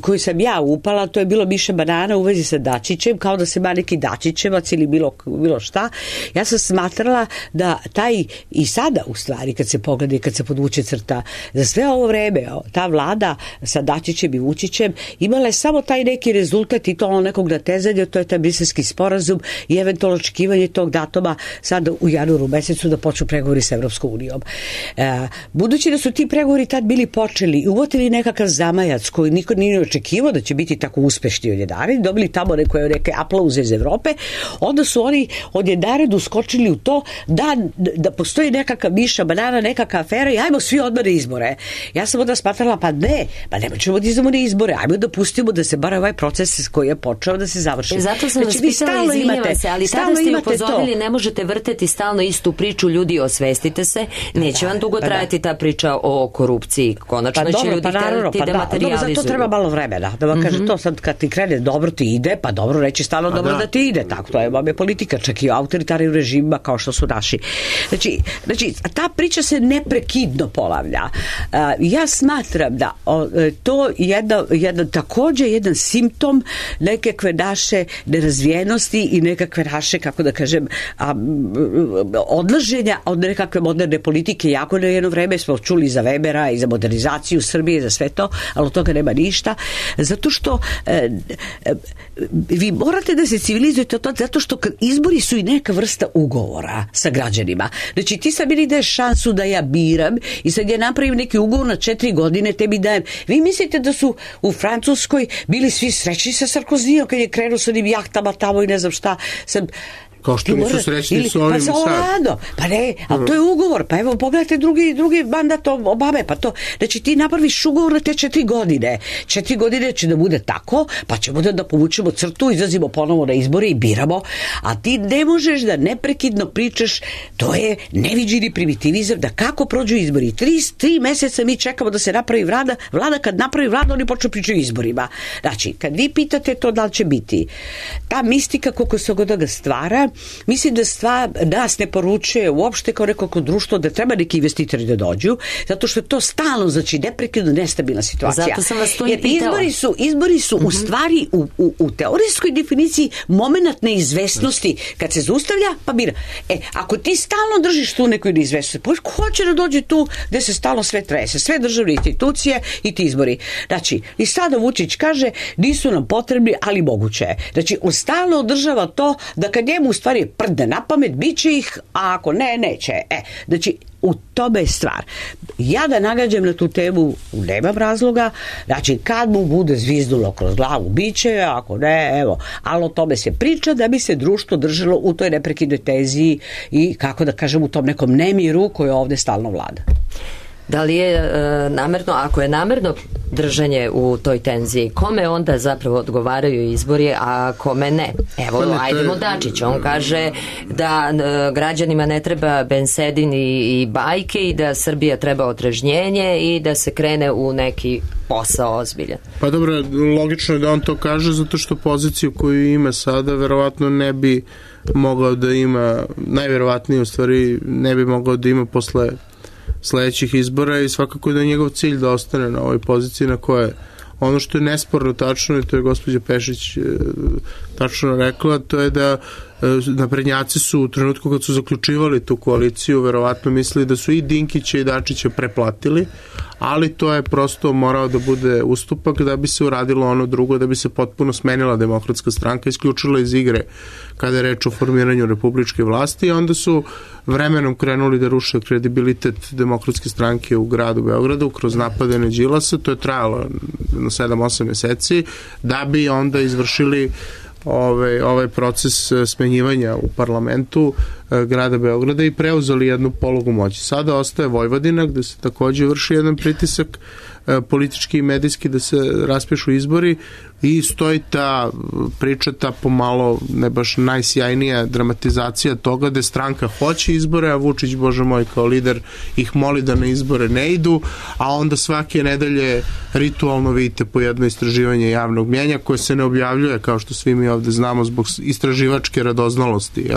koju sam ja upala, to je bilo Miša Banana u vezi sa Dačićem, kao da se ima neki Dačićevac ili bilo šta. Ja sam smatrala da taj, i sada u stvari kad se pogleda i kad se podvuče crta, za sve ovo vreme ta vlada sa Dačićem i Vučićem imala je samo taj neki rezultat i to ono nekog natezanja, to je taj briselski sporazum i eventualno očekivanje tog datuma sad u januaru mesecu da počnu pregovori sa Evropskom unijom. Budući da su ti pregovori tad bili počeli i uvotili nekakav zamajac koji niko nije očekivao da će biti tako uspešni odjedared, dobili tamo neke aplauze iz Evrope, onda su oni odjedared uskočili u to da postoji nekakav Miša Banana, nekakva afera i ajmo svi odmah na izbore. Ja sam onda smatrala, pa ne ćemo da izdamo na izbore, ajmo da pustimo da se bar ovaj proces koji je počeo da se završi. Zato sam vas pitala, izvinjavam se, ali tada ste upozorili, ne možete vrteti stalno istu priču, ljudi, osvestite se, neće vam dugo trajati ta priča o korupciji, konačno će ljudi htjeti da materializuju. Zato treba malo vremena, da vam kaže to sad kad ti krene dobro ti ide, pa dobro reći stalno dobro da ti ide, tako to je politika, čak i u autoritarnim režimima kao što su naši. Znači ta priča se neprekidno ponavlja. Ja smatram da to ovo takođe jedan simptom nekakve naše nerazvijenosti i nekakve naše, kako da kažem, odlaženja od nekakve moderne politike. Jako na jedno vreme smo čuli za Webera i za modernizaciju Srbije, za sve to, ali od toga nema ništa. Zato što vi morate da se civilizujete to, zato što izbori su i neka vrsta ugovora sa građanima. Znači ti sad meni daješ šansu da ja biram i sad ja napravim neki ugovor na 4 godine, tebi dajem. Vi mislite da su u Francuskoj bili svi srećni sa Sarkozijom kad je krenuo sa onim jahtama tamo i ne znam šta. Kao što nisu srećni s ovim sad. Pa ne, ali to je ugovor. Pa evo, pogledajte drugi mandat Obame. Pa to, znači ti napraviš ugovor na te 4 godine. 4 godine će da bude tako, pa ćemo da povučemo crtu, izlazimo ponovo na izbore i biramo. A ti ne možeš da neprekidno pričaš, to je neviđeni primitivizam, da kako prođu izbori. 3 meseca mi čekamo da se napravi vlada. Vlada kad napravi vlada, oni počnu pričaju o izborima. Znači, kad vi pitate to da li će biti, ta mistika koliko se god ga stvara, mislim da stvar nas ne poručuje uopšte kao neko društvo da treba neki investitori da dođu, zato što je to stalno, znači neprekidno nestabilna situacija. Zato sam vas to i pitala. Izbori su u stvari u teorijskoj definiciji moment neizvesnosti. Kad se zaustavlja, pa bira. Ako ti stalno držiš tu neku neizvesnost, pa ko će da dođe tu gde se stalno sve trese, sve državne institucije i ti izbori. Znači, i sada Vučić kaže, nisu nam potrebni, ali moguće je. Znači, on stalno održava to da kad njemu u stvari prde na pamet, bit će ih, a ako ne, neće. Znači, u tome je stvar. Ja da nagađam na tu temu, nemam razloga, znači kad mu bude zvizdulo kroz glavu, bit će, ako ne, evo, ali o tome se priča da bi se društvo držalo u toj neprekidnoj tenziji i, kako da kažem, u tom nekom nemiru koji ovde stalno vlada. Da li je namerno, ako je namerno držanje u toj tenziji, kome onda zapravo odgovaraju izbori, a kome ne? Evo, ajdemo Dačić, on kaže da građanima ne treba bensedin i bajke i da Srbija treba otrežnjenje i da se krene u neki posao ozbiljan. Pa dobro, logično je da on to kaže zato što poziciju koju ima sada verovatno ne bi mogao da ima, najverovatnije u stvari ne bi mogao da ima posle sledećih izbora i svakako je da je njegov cilj da ostane na ovoj poziciji na koje ono što je nesporno tačno i to je gospođa Pešić tačno rekla, to je da naprednjaci su u trenutku kad su zaključivali tu koaliciju verovatno mislili da su i Dinkića i Dačića preplatili, ali to je prosto morao da bude ustupak da bi se uradilo ono drugo, da bi se potpuno smenila Demokratska stranka, isključila iz igre kada je reč o formiranju republičke vlasti i onda su vremenom krenuli da ruše kredibilitet Demokratske stranke u gradu Beogradu kroz napade na Đilasa, to je trajalo na 7-8 meseci, da bi onda izvršili ovaj proces smenjivanja u parlamentu grada Beograda i preuzeli jednu polugu moći. Sada ostaje Vojvodina gde se takođe vrši jedan pritisak politički i medijski da se raspišu izbori i stoji ta priča, ta pomalo ne baš najsjajnija dramatizacija toga da stranka hoće izbore, a Vučić, bože moj, kao lider ih moli da na izbore ne idu, a onda svake nedelje ritualno vidite po jedno istraživanje javnog mnjenja koje se ne objavljuje, kao što svi mi ovde znamo, zbog istraživačke radoznalosti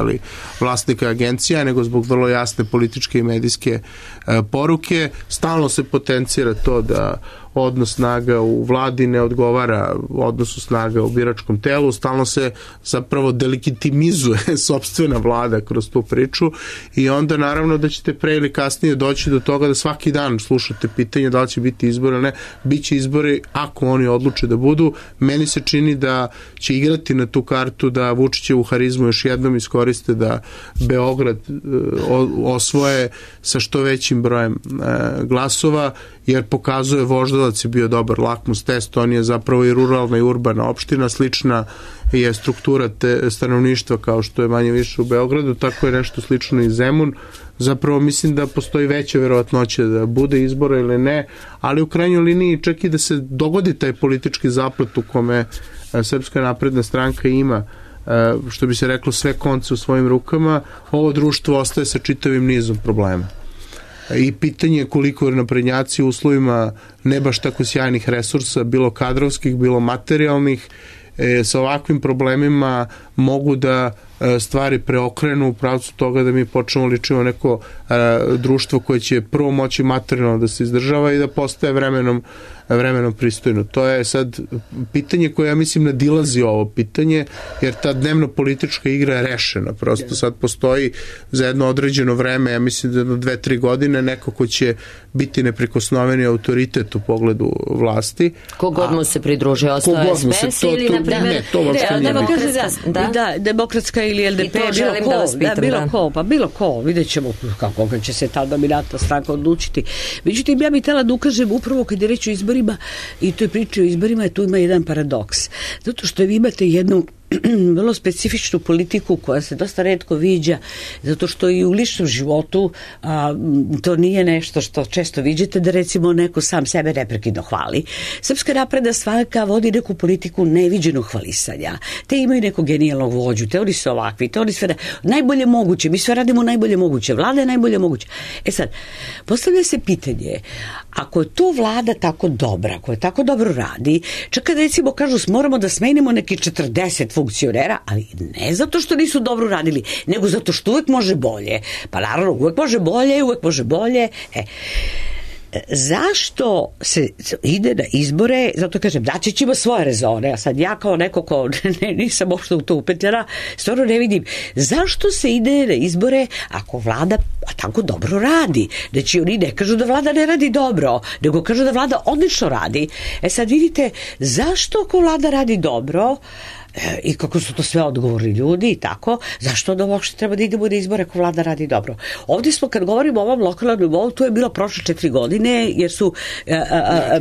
vlasnika agencija, nego zbog vrlo jasne političke i medijske poruke. Stalno se potencira to da odnos snaga u vladi ne odgovara odnosu snaga u biračkom telu, stalno se zapravo delegitimizuje sopstvena vlada kroz tu priču i onda naravno da ćete pre ili kasnije doći do toga da svaki dan slušate pitanje da li će biti izbori ili ne. Biće izbori ako oni odluče da budu. Meni se čini da će igrati na tu kartu da Vučićevu harizmu još jednom iskoriste da Beograd osvoje sa što većim brojem glasova, jer pokazuje Voždovac je bio dobar lakmus test, on je zapravo i ruralna i urbana opština, slična je struktura stanovništva kao što je manje više u Beogradu, tako je nešto slično i Zemun. Zapravo mislim da postoji veća verovatnoća da bude izbora ili ne, ali u krajnjoj liniji čak i da se dogodi taj politički zaplet u kome Srpska napredna stranka ima, što bi se reklo, sve konce u svojim rukama, ovo društvo ostaje sa čitavim nizom problema. I pitanje je koliko naprednjaci u uslovima ne baš tako sjajnih resursa, bilo kadrovskih, bilo materijalnih, sa ovakvim problemima mogu da stvari preokrenu u pravcu toga da mi počnemo ličimo neko društvo koje će prvo moći materijalno da se izdržava i da postaje vremenom vremenom pristojno. To je sad pitanje koje ja mislim nadilazi ovo pitanje, jer ta dnevno politička igra je rešena. Prosto sad postoji za jedno određeno vreme, ja mislim da 2-3 godine neko ko će biti neprikosnoveni autoritet u pogledu vlasti. Kogod mu se pridruže, ostao SPS ili, na primjer, demokratska ili LDP, bilo ko, vidjet ćemo kako će se ta dominantna stranka odlučiti. Međutim, ja bih htjela da ukažem upravo kad je reč o izborima i to je priča o izborima, tu ima jedan paradoks. Zato što vi imate jednu vrlo specifičnu politiku koja se dosta retko viđa, zato što i u ličnom životu to nije nešto što često viđete, da recimo neko sam sebe neprekidno hvali. Srpska napredna stranka vodi neku politiku neviđenog hvalisanja. Te imaju nekog genijalnog vođu, te oni su ovakvi, te oni sve najbolje moguće, mi sve radimo najbolje moguće, vlada je najbolje moguće. Sad, postavlja se pitanje, ako je to vlada tako dobra, ako je tako dobro radi, čak kad recimo kažu moramo da smenimo neki 40 funkcionera, ali ne zato što nisu dobro radili, nego zato što uvek može bolje. Pa naravno, uvek može bolje. Zašto se ide na izbore? Zato kažem, Dačić ima svoje rezone, a sad ja kao neko ko nisam uopšte u to upetljena, stvarno ne vidim zašto se ide na izbore ako vlada tako dobro radi. Znači oni ne kažu da vlada ne radi dobro, nego kažu da vlada odlično radi. Sad vidite, zašto ako vlada radi dobro i kako su to sve odgovorni ljudi i tako, zašto da uopšte treba da idemo na izbore ako vlada radi dobro? Ovdje smo, kad govorimo o ovom lokalnom nivou, to je bilo prošle 4 godine, jer su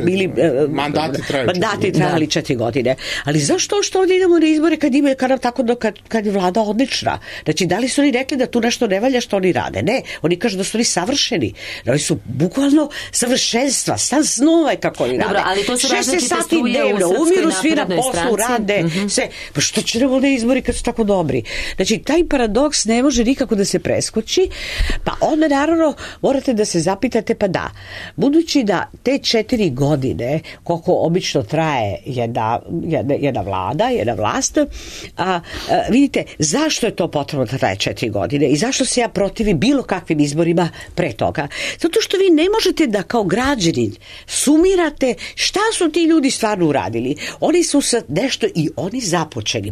bili mandati trajali 4 godine. Ali zašto što ovdje idemo na izbore kad je vlada odlična? Znači, da li su oni rekli da tu nešto ne valja što oni rade? Ne, oni kažu da su oni savršeni. Oni su bukvalno savršenstva, stan snova je kako oni rade. Dobro, ali to su 16 sati dnevno, umiru svi na poslu, rade, sve. Pa što će nam ovdje izbori kad su tako dobri? Znači, taj paradoks ne može nikako da se preskoči, pa onda naravno morate da se zapitate, pa da, budući da te 4 godine, koliko obično traje jedna vlada, jedna vlast, vidite, zašto je to potrebno da traje 4 godine i zašto se ja protivim bilo kakvim izborima pre toga? Zato što vi ne možete da kao građanin sumirate šta su ti ljudi stvarno uradili. Oni su sad nešto i oni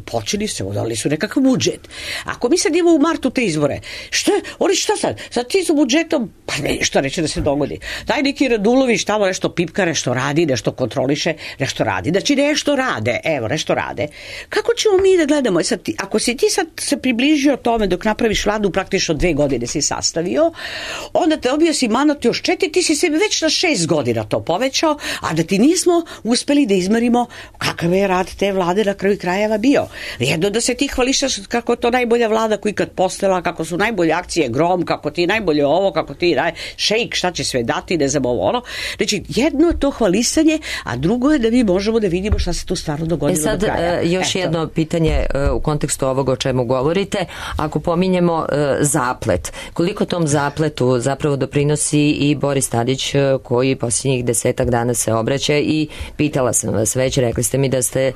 počeli se, dali su nekakav budžet. Ako mi sad imamo u martu te izbore, šta sad? Sad ti su budžetom, pa nešto neće da se dogodi. Daj neki Radulović tamo nešto pipka, nešto radi, nešto kontroliše, nešto radi. Znači nešto rade. Kako ćemo mi da gledamo? Sad, ako si ti sad se približio tome dok napraviš vladu, praktično 2 godine si sastavio, onda te dobio si mandat još 4, ti si sebi već na 6 godina to povećao, a da ti nismo uspeli da izmerimo kakav je rad te vlade na kraju krajeva bio. Jedno da se ti hvališaš kako je to najbolja vlada koji kad postala, kako su najbolje akcije Grom, kako ti najbolje ovo, kako ti šejk, šta će sve dati, ne znam ovo ono. Znači, jedno je to hvalisanje, a drugo je da mi možemo da vidimo šta se tu stvarno dogodilo do kraja. Još jedno pitanje u kontekstu ovoga o čemu govorite. Ako pominjemo zaplet, koliko tom zapletu zapravo doprinosi i Boris Tadić, koji posljednjih 10 dana se obraća, i pitala sam vas već, rekli ste mi da ste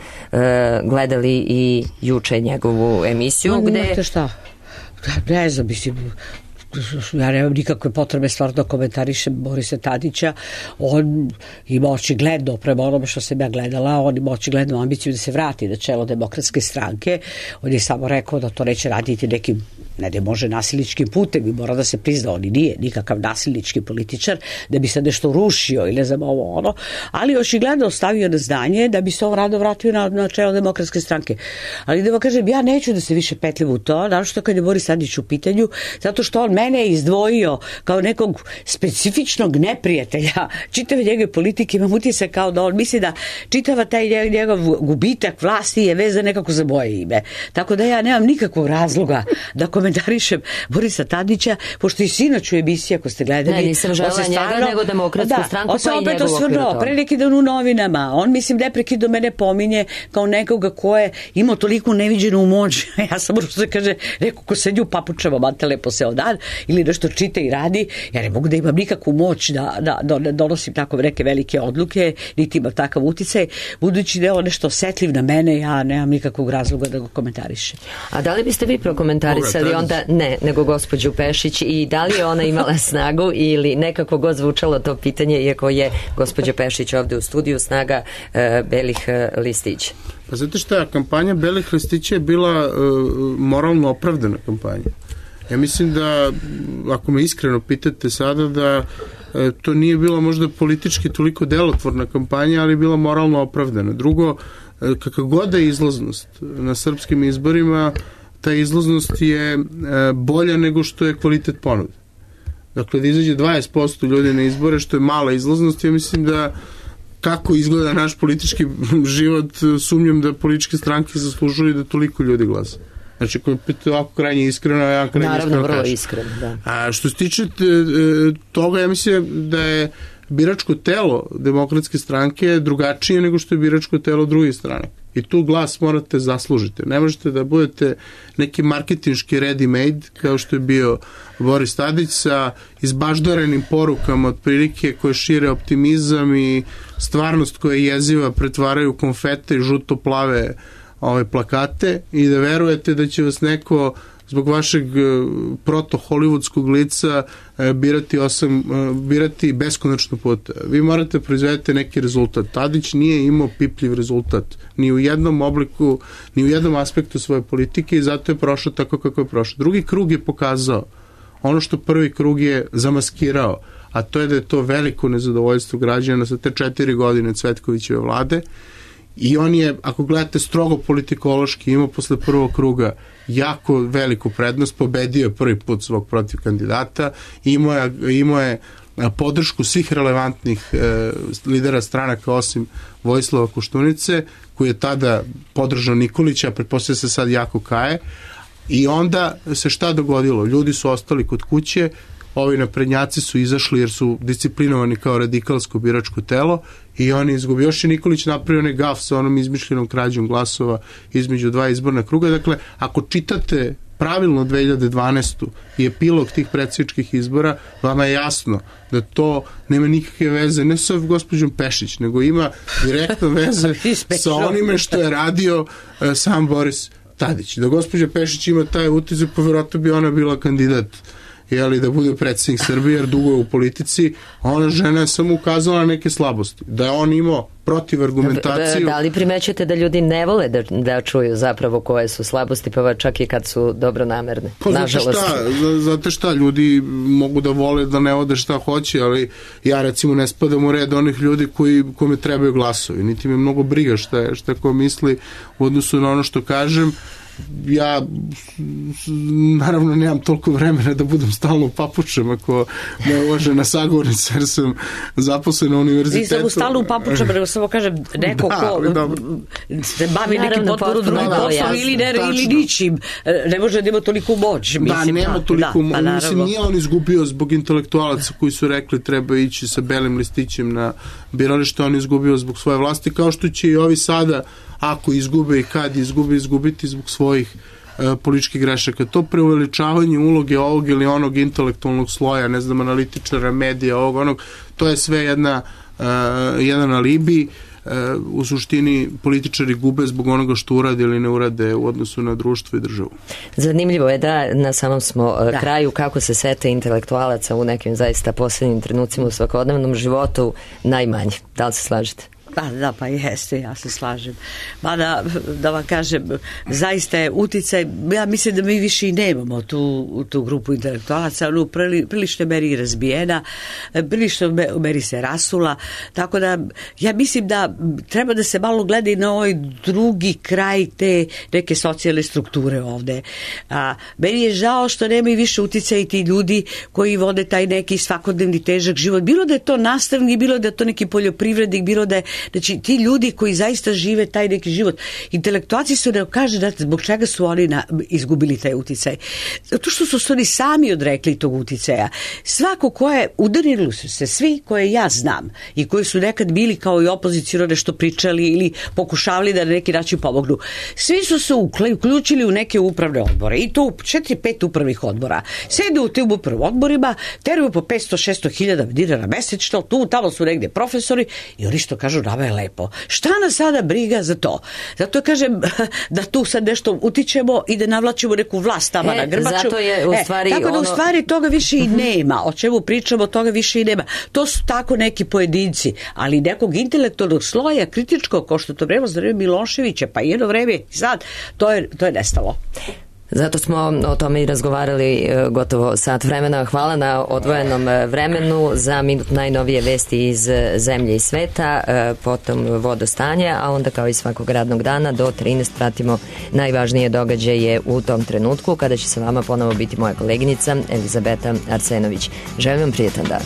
gledali i juče njegovu emisiju. Gde... Šta? Ne znam, mislim, ja nemam nikakve potrebe stvarno da komentarišem Borisa Tadića. On ima očigledno, prema onome što sam ja gledala, on ima očigledno ambiciju da se vrati na čelo Demokratske stranke. On je samo rekao da to neće raditi nekim, ne da može nasilničkim putem, i mora da se prizna, on nije nikakav nasilnički političar da bi se nešto rušio ili ne znam ovo ono, ali očigledno ostavio na znanje da bi se on rado vratio na čelo Demokratske stranke. Ali da vam kažem, ja neću da se više petljam u to, naročito kad je Boris Tadić u pitanju, zato što on mene je izdvojio kao nekog specifičnog neprijatelja čitave njegove politike. Imam utisak kao da on misli da čitava taj njegov gubitak vlasti je vezan nekako za moje ime. Tako da ja nemam nikakvog razloga da komentarišem Borisa Tadića, pošto i sinoć u emisiji, ako ste gledali... Ne, nisam želela njega, nego Demokratsku stranku, pa i njegovu okviru. Pre neki dan u novinama, on mislim neprekidno mene pominje kao nekoga ko je imao toliko neviđenu moć. Ja sam možda kaže, neko ko sedi u papučama, mate lepo se odan, ili nešto čita i radi, ja ne mogu da imam nikakvu moć da donosim tako neke velike odluke, niti imam takav uticaj. Budući da je on nešto osetljiv na mene, ja nemam nikakvog razloga da ga komentarišem. A da li biste vi prokomentarisali onda ne, nego gospođu Pešić, i da li je ona imala snagu ili nekako god zvučalo to pitanje, iako je gospođa Pešić ovde u studiju, snaga belih listića? Pa znate šta, kampanja belih listića je bila moralno opravdana kampanja. Ja mislim da, ako me iskreno pitate sada, da to nije bila možda politički toliko delotvorna kampanja, ali je bila moralno opravdana. Drugo, kakav god je izlaznost na srpskim izborima, ta izlaznost je bolja nego što je kvalitet ponude. Dakle, da izađe 20% ljudi na izbore, što je mala izlaznost, ja mislim da kako izgleda naš politički život, sumnjam da političke stranke zaslužuju da toliko ljudi glasa. Znači, ako je pitao ovako krajnje iskreno, ja krajnje naravno, iskreno kažem. vrlo iskreno, da. A što se tiče toga, ja mislim da je biračko telo Demokratske stranke drugačije nego što je biračko telo drugih strana. I tu glas morate zaslužiti. Ne možete da budete neki marketinški ready-made, kao što je bio Boris Tadić, sa izbaždarenim porukama otprilike koje šire optimizam i stvarnost koja je jeziva pretvaraju konfete i žuto-plave plakate, i da verujete da će vas neko zbog vašeg proto-hollywoodskog lica birati beskonačno puta. Vi morate proizvedete neki rezultat. Tadić nije imao pipljiv rezultat ni u jednom obliku, ni u jednom aspektu svoje politike, i zato je prošao tako kako je prošao. Drugi krug je pokazao ono što prvi krug je zamaskirao, a to je da je to veliko nezadovoljstvo građana sa te 4 godine Cvetkovićeve vlade. I on je, ako gledate strogo politikološki, imao posle prvog kruga jako veliku prednost, pobedio je prvi put svog protiv kandidata, imao je podršku svih relevantnih lidera stranaka osim Vojislava Koštunice, koji je tada podržao Nikolića, a pretpostavlja se sad jako kaje. I onda se šta dogodilo? Ljudi su ostali kod kuće, ovi naprednjaci su izašli jer su disciplinovani kao radikalsko biračko telo, i oni izgubili. Još je Nikolić napravio onaj gaf sa onom izmišljenom krađom glasova između 2 izborna kruga. Dakle, ako čitate pravilno 2012. i epilog tih predsjedničkih izbora, vama je jasno da to nema nikakve veze ne sa gospođom Pešić, nego ima direktno veze sa onime što je radio sam Boris Tadić. Da gospođa Pešić ima taj utisak, pa verovatno bi ona bila kandidat da bude predsjednik Srbije, jer dugo je u politici. Ona žena je samo ukazala na neke slabosti. Da je on imao protiv argumentaciju. Da li primećujete da ljudi ne vole da čuju zapravo koje su slabosti, pa čak i kad su dobronamerne? Pa znate šta, ljudi mogu da vole da ne ode šta hoće, ali ja recimo ne spadam u red onih ljudi kome trebaju glasovi. Niti me mnogo briga šta ko misli u odnosu na ono što kažem. Ja naravno nemam toliko vremena da budem stalno u papučama ako me uvažena sagovornica, jer sam zaposlen na univerzitetu. Nisam stalno u papučama, nego samo kažem neko ko se bavi nekim potporu drugim poslom ili ničim, ne može da ima toliko moć. Da, nema toliko moć. Mislim, nije on izgubio zbog intelektualaca koji su rekli treba ići sa belim listićem na biralište, on izgubio zbog svoje vlasti, kao što će i ovi sada, ako izgube i kad izgubiti zbog svojih političkih grešaka. To preuveličavanje uloge ovog ili onog intelektualnog sloja, ne znam, analitičara, medija, ovog, onog, to je sve jedan alibi. U suštini političari gube zbog onoga što urade ili ne urade u odnosu na društvo i državu. Zanimljivo je da na samom smo kraju, kako se sete intelektualaca u nekim zaista poslednjim trenucima u svakodnevnom životu najmanje. Da li se slažete? Pa jeste, ja se slažem. Mada, da vam kažem, zaista je uticaj, ja mislim da mi više i nemamo tu grupu intelektualaca, ono prilično meri razbijena, prilično meri se rasula, tako da ja mislim da treba da se malo gleda i na ovaj drugi kraj te neke socijalne strukture ovde. Meni je žao što nema i više uticaja i ti ljudi koji vode taj neki svakodnevni težak život, bilo da je to nastavnik, bilo da je to neki poljoprivrednik, bilo da je, znači ti ljudi koji zaista žive taj neki život. Intelektualci su ne kaže zbog čega su oni izgubili taj uticaj. Zato što su oni sami odrekli tog uticaja. Svako ko je, udarili su se svi koje ja znam i koji su nekad bili kao i opozicijno nešto pričali ili pokušavali da na neki način pomognu. Svi su se uključili u neke upravne odbore i to 4-5 upravnih odbora. Sede u tim upravnim odborima, teraju po 500-600 hiljada dinara mesečno, tu tamo su negde profesori i oni što kažu nama Sava je lepo. Šta nas sada briga za to? Zato kažem da tu sad nešto utičemo i da navlačimo neku vlast tamo na grbaču. Zato je u stvari tako da u stvari toga više i nema. O čemu pričamo, toga više i nema. To su tako neki pojedinci, ali nekog intelektualnog sloja, kritičkog, kao što to vreme za vreme Miloševića, pa jedno vreme i sad, to je nestalo. Zato smo o tome i razgovarali gotovo sat vremena. Hvala na odvojenom vremenu. Za minut najnovije vesti iz zemlje i sveta, potom vodostanje, a onda kao i svakog radnog dana do 13 pratimo najvažnije događaje u tom trenutku, kada će sa vama ponovo biti moja koleginica Elizabeta Arsenović. Želim vam prijetan dan.